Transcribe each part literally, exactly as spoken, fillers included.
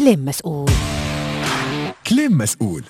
كلام مسؤول. كلام مسؤول.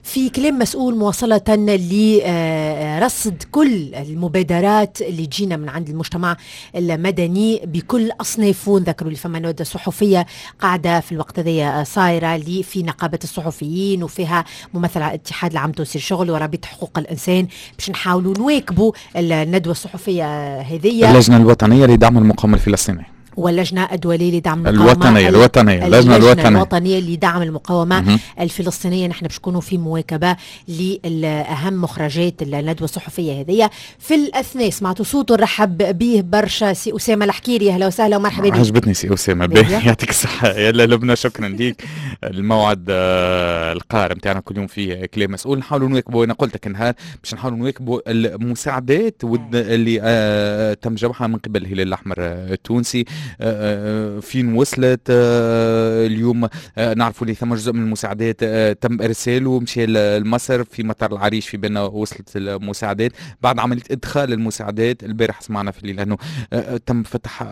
في كلام مسؤول مواصلة لرصد كل المبادرات اللي تجينا من عند المجتمع المدني بكل أصنافه. نذكروا اللي فما ندوة صحفية قاعدة في الوقت هذايا صايرة اللي في نقابة الصحفيين وفيها ممثل على الاتحاد العام التونسي للشغل ورابطة حقوق الإنسان باش نحاولوا نواكبوا الندوة الصحفية هذية. اللجنة الوطنية لدعم المقاومة الفلسطينية واللجنة الدولية لدعم المقاومة الوطنية الوطنية اللجنة الوطنية الوطنية لدعم المقاومة مه. الفلسطينية. نحن باش نكونوا في مواكبة لأهم مخرجات الندوة الصحفية هذية. في الأثناء سمعتوا صوته، نرحب به برشا، سي أسامة الحكيري. أهلا وسهلا ومرحبا بك. عجبتني سي أسامة، يعطيك الصحة. يلا لبنى، شكرا ليك. الموعد القار نتاعنا كل يوم فيه كلام مسؤول، نحاولوا نواكبوا، أنا قلت لك نهار باش نحاولوا نواكبوا المساعدات اللي تم جمعها من قبل الهلال الأحمر التونسي، فين وصلت اليوم. نعرفوا اللي ثم جزء من المساعدات تم ارساله مشى لمصر في مطار العريش، في بالنا وصلت المساعدات بعد عملية ادخال المساعدات. البارح سمعنا في الليل انه تم فتح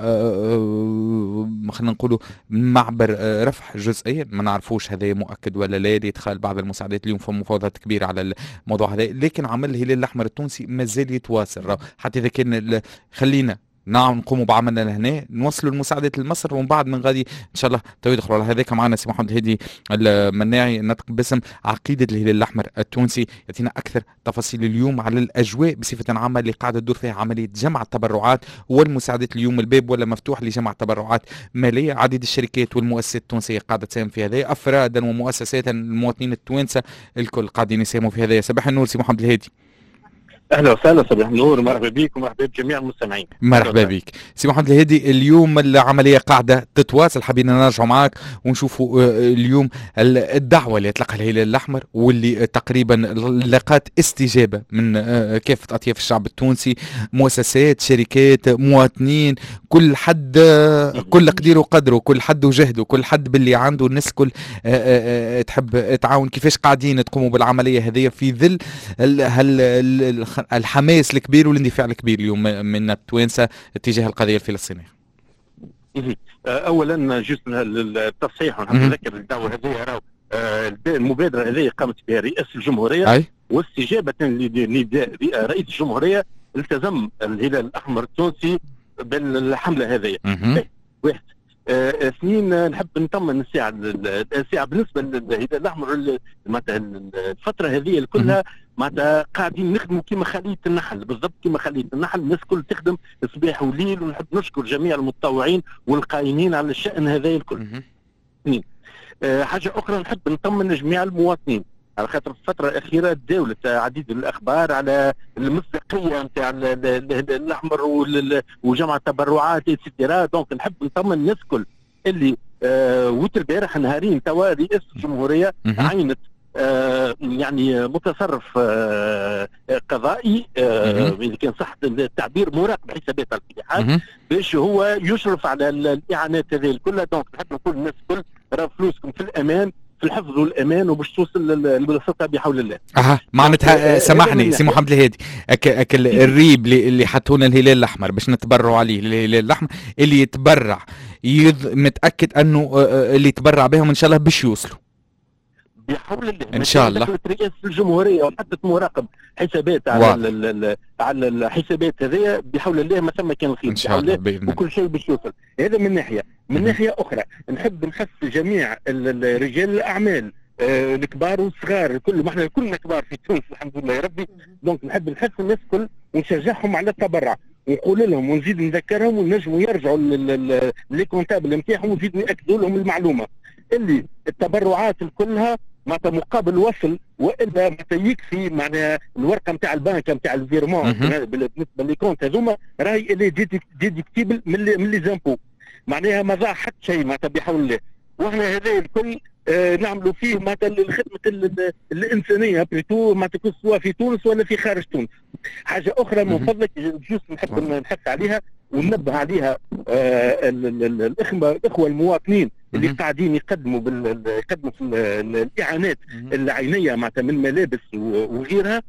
خلينا نقولوا معبر رفح جزئيا، ما نعرفوش هذا مؤكد ولا لا، لادخال بعض المساعدات. اليوم فما مفاوضات كبيرة على الموضوع هذا، لكن عمل الهلال الاحمر التونسي مازال يتواصل حتى اذا كان خلينا نعم نقوموا بعملنا لهنا، نوصلوا المساعدات لمصر ومن بعد من غادي ان شاء الله تو يدخلوا على هذاك. معنا سي محمد الهادي المناعي نطق باسم عقيدة الهلال الاحمر التونسي، يعطينا اكثر تفاصيل اليوم على الاجواء بصفة عامة اللي قاعدة تدور فيها عملية جمع التبرعات والمساعدات. اليوم الباب ولا مفتوح لجمع تبرعات ماليه، عديد الشركات والمؤسسات التونسية قاعدة تساهم في هذا، افرادا ومؤسسات، المواطنين التوانسة الكل قاعدين يساهموا في هذا. صباح النور سي محمد الهادي. اهلا وسهلا، صباح النور، مرحبا بك ومرحبا بجميع المستمعين. مرحبا بك سي محمد الهادي. اليوم العملية قاعدة تتواصل، حابين نرجعوا معاك ونشوفوا اليوم الدعوة اللي اطلقها الهلال الاحمر واللي تقريبا لقات استجابة من كافة اطياف الشعب التونسي، مؤسسات، شركات، مواطنين، كل حد كل قديره وقدره، كل حد وجهده، كل حد باللي عنده، الناس الكل تحب تعاون. كيفاش قاعدين تقوموا بالعملية هذه في ظل هل الحماس الكبير والاندفاع الكبير اليوم من التوانسة تجاه القضية الفلسطينية؟ اولا juste التصحيح، ونذكر الدعوة هذه راهو المبادرة هذه قامت بها رئاسة الجمهورية. أي؟ واستجابه لنداء رئيس الجمهورية التزم الهلال الاحمر التونسي بالحمله هذه. واحد. اثنين، نحب نطمن الساعة الساعة بالنسبة للهلال الاحمر معناتها الفترة هذه كلها معناتها قاعدين نخدموا كما خليه النحل، بالضبط كما خليه النحل، الناس الكل تخدم صباح وليل، ونحب نشكر جميع المتطوعين والقائمين على الشأن هذا الكل. اثنين. أه حاجة اخرى نحب نطمن جميع المواطنين على خاطر الفترة الأخيرة تداولت عديد الأخبار على المصداقية نتاع الأحمر وجمع التبرعات et cetera. donc نحب نطمن الناس الكل اللي آه وت البارح نهارين توا رئاسة الجمهورية عينت آه يعني متصرف آه قضائي آه إذا كان صح التعبير، مراقب حسابات الاتحاد باش هو يشرف على الإعانات هذه الكل. donc نحب نقول للناس الكل راه فلوسكم في الأمان، في الحفظ والامان، وباش توصل للسلطة بحول الله. اها معناتها سامحني سي محمد الهادي، أك أك الريب اللي حطونا الهلال الاحمر باش نتبرعوا عليه، الهلال الاحمر اللي يتبرع يض... متاكد انه اللي يتبرع بهم ان شاء الله باش يوصلوا بحول الله ان شاء الله. رئاسة الجمهورية وحطت مراقب حسابات على ال على الحسابات هذيا بحول الله ما ثم كان الخير ان شاء الله بإذن الله، وكل شيء باش يوصل. هذا من ناحية. من ناحية اخرى نحب نحث جميع رجال الاعمال آه الكبار والصغار الكل، ما احنا كلنا كبار في تونس الحمد لله يا ربي. donc نحب نحث الناس الكل ونشجعهم على التبرع، ونقول لهم ونزيد نذكرهم ونجموا يرجعوا les comptables نتاعهم ونزيد ناكدوا لهم المعلومة اللي التبرعات كلها معناتها مقابل وصل، والا معناتها يكفي معناها الورقة نتاع البنك نتاع ال virement بالنسبة les comptes هذوما راهي اللي déductible من les impôts، معناها ما ضاع حتى شيء معناتها بحول الله. واحنا هذا الكل آه نعملوا فيه معناتها الخدمة الانسانية plutôt معناتها سواء في تونس ولا في خارج تونس. حاجة اخرى من فضلك juste نحب نحث عليها وننبه عليها آه الاخوة الاخوة المواطنين اللي قاعدين يقدموا بال... يقدموا في الاعانات العينية معناتها من ملابس وغيرها.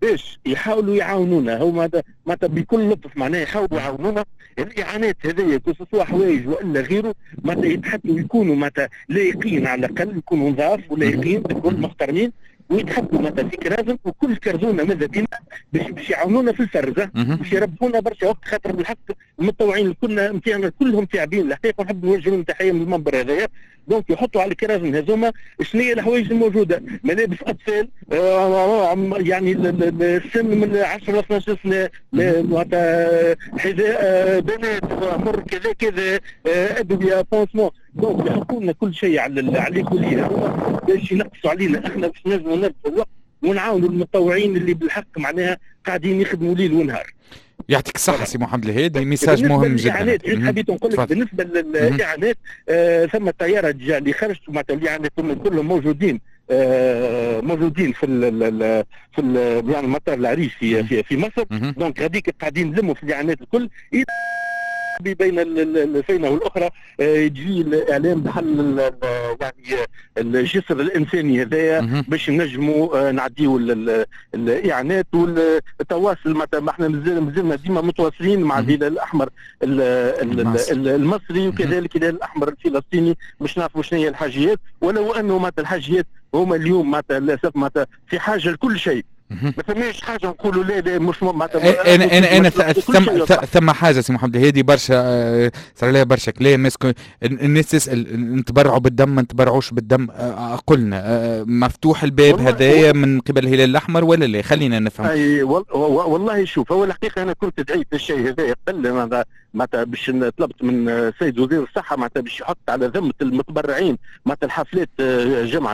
باش يحاولوا يعاونونا، هما معناتها بكل لطف معناها يحاولوا يعاونونا. الاعانات هذيا que ce soit حوايج والا غيره معناتها يتحطوا يكونوا معناتها لايقين، على الاقل يكونوا نظاف ولايقين الكل محترمين، ويتحطوا معناتها في كرازن، وكل كرزونه ماذا بينا باش باش يعاونونا في الفرزه، باش يربحونا برشا وقت، خاطر بالحق المتطوعين الكل نتاعنا كلهم تعبين الحقيقة، ونحب نوجه لهم تحية من المنبر هذايا. donc يحطوا على الكرازن هذوما شنو هي الحوايج الموجودة، ملابس اطفال آه يعني السن من عشرة ل اثناش سنة، معناتها حذاء آه بنات عمر كذا كذا، آه ادوية، pansements. donc يحطوا لنا كل شيء على على les colis هذوما باش ينقصوا علينا احنا، باش نجموا نربحوا الوقت ونعاونوا المتطوعين اللي بالحق معناها قاعدين يخدموا ليل ونهار. يعطيك الصحة سي محمد الهادي، message مهم جدا. حبيت نقول لك بالنسبة للإعانات آه ثم طيارة déjà اللي خرجت معناتها الإعانات كلهم موجودين آه موجودين في ال في ال يعني مطار العريش في في, في مصر. donc غاديك قاعدين نلموا في الإعانات الكل بين الفينة والأخرى يجي الإعلام بحل يعني الجسر الإنساني هذايا باش نجموا نعديو الإعانات والتواصل. معناتها احنا مازلنا ديما متواصلين مع الهلال الأحمر المصري وكذلك الهلال الأحمر الفلسطيني باش نعرفوا شنو هي الحاجيات، ولو أنه معناتها الحاجيات هما اليوم معناتها للأسف معناتها في حاجة لكل شيء، ما ثماش حاجة نقولوا لا لا مش معناتها. انا انا انا ثم ثم حاجة سي محمد الهادي برشا صار لها برشا كلام، الناس تسال نتبرعوا بالدم ما نتبرعوش بالدم، قلنا مفتوح الباب هذايا من قبل الهلال الاحمر ولا لا؟ خلينا نفهم. اي والله شوف، هو الحقيقة انا كنت دعيت الشيء هذايا قبل معناتها باش طلبت من السيد وزير الصحة معناتها باش يحط على ذمه المتبرعين معناتها الحفلات جمع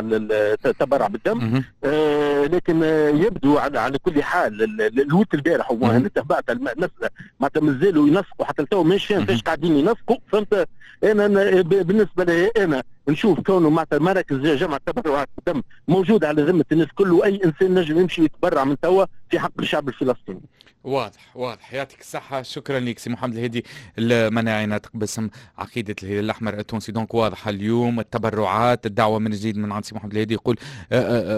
التبرع بالدم، آه لكن يبدو على, على كل حال الوقت البارح وانا تبعت المسالة معناتها مازالوا ينسقوا حتى لتو مش فاهم فاش قاعدين ينسقوا، فهمت؟ انا بالنسبة لي انا نشوف كونه معناتها مراكز جمع التبرعات بالدم موجود على ذمه الناس كل، واي انسان نجم يمشي يتبرع من توا في حق الشعب الفلسطيني. واضح واضح، يعطيك الصحة، شكرا لك سي محمد الهادي المناعي ناطق باسم عقيدة الهلال الأحمر التونسي. donc واضحة اليوم التبرعات، الدعوة من جديد من عند سي محمد الهادي يقول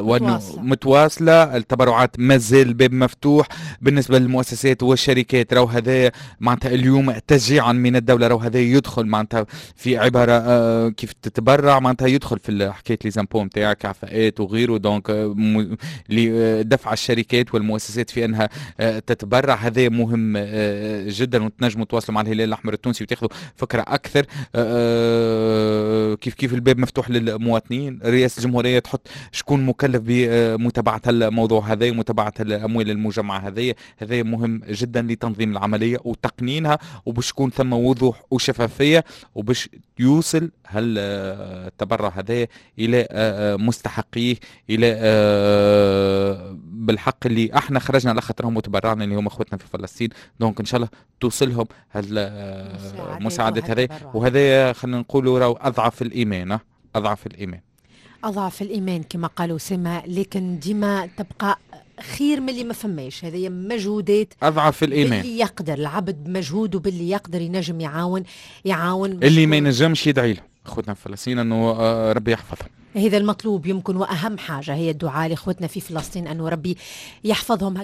وأنه متواصلة التبرعات، مازال الباب مفتوح بالنسبة للمؤسسات والشركات. راهو هذا معناتها اليوم تشجيعا من الدولة، راهو هذا يدخل معناتها في عبارة كيف تتبرع معناتها يدخل في حكاية les impôts نتاعك عفاءات وغيره، donc لدفع الشركات والمؤسسات في أنها تتبرع، هذا مهم جدا. وتنجموا تواصلوا مع الهلال الاحمر التونسي وتاخذوا فكرة اكثر. كيف كيف الباب مفتوح للمواطنين، رئاسة الجمهورية تحط شكون مكلف بمتابعة الموضوع هذا ومتابعة الاموال المجمعة هذه، هذا مهم جدا لتنظيم العملية وتقنينها، وباش يكون ثم وضوح وشفافيه، وباش يوصل هالتبرع هذا الى مستحقيه، الى بالحق اللي احنا خرجنا على خاطرهم وتبرعنا اللي هم اخوتنا في فلسطين. donc ان شاء الله توصلهم هالمساعدات هذه، وهذا خلينا نقولوا راهو اضعف الايمان، اضعف الايمان اضعف الايمان كما قالوا سما، لكن ديما تبقى خير من اللي ما فماش. هذه مجهودات اضعف الايمان، باللي يقدر العبد بمجهوده، باللي يقدر ينجم يعاون يعاون، اللي ما ينجمش يدعي له اخوتنا في فلسطين انه ربي يحفظهم. هذا المطلوب يمكن، واهم حاجة هي الدعاء لاخوتنا في فلسطين انه ربي يحفظهم.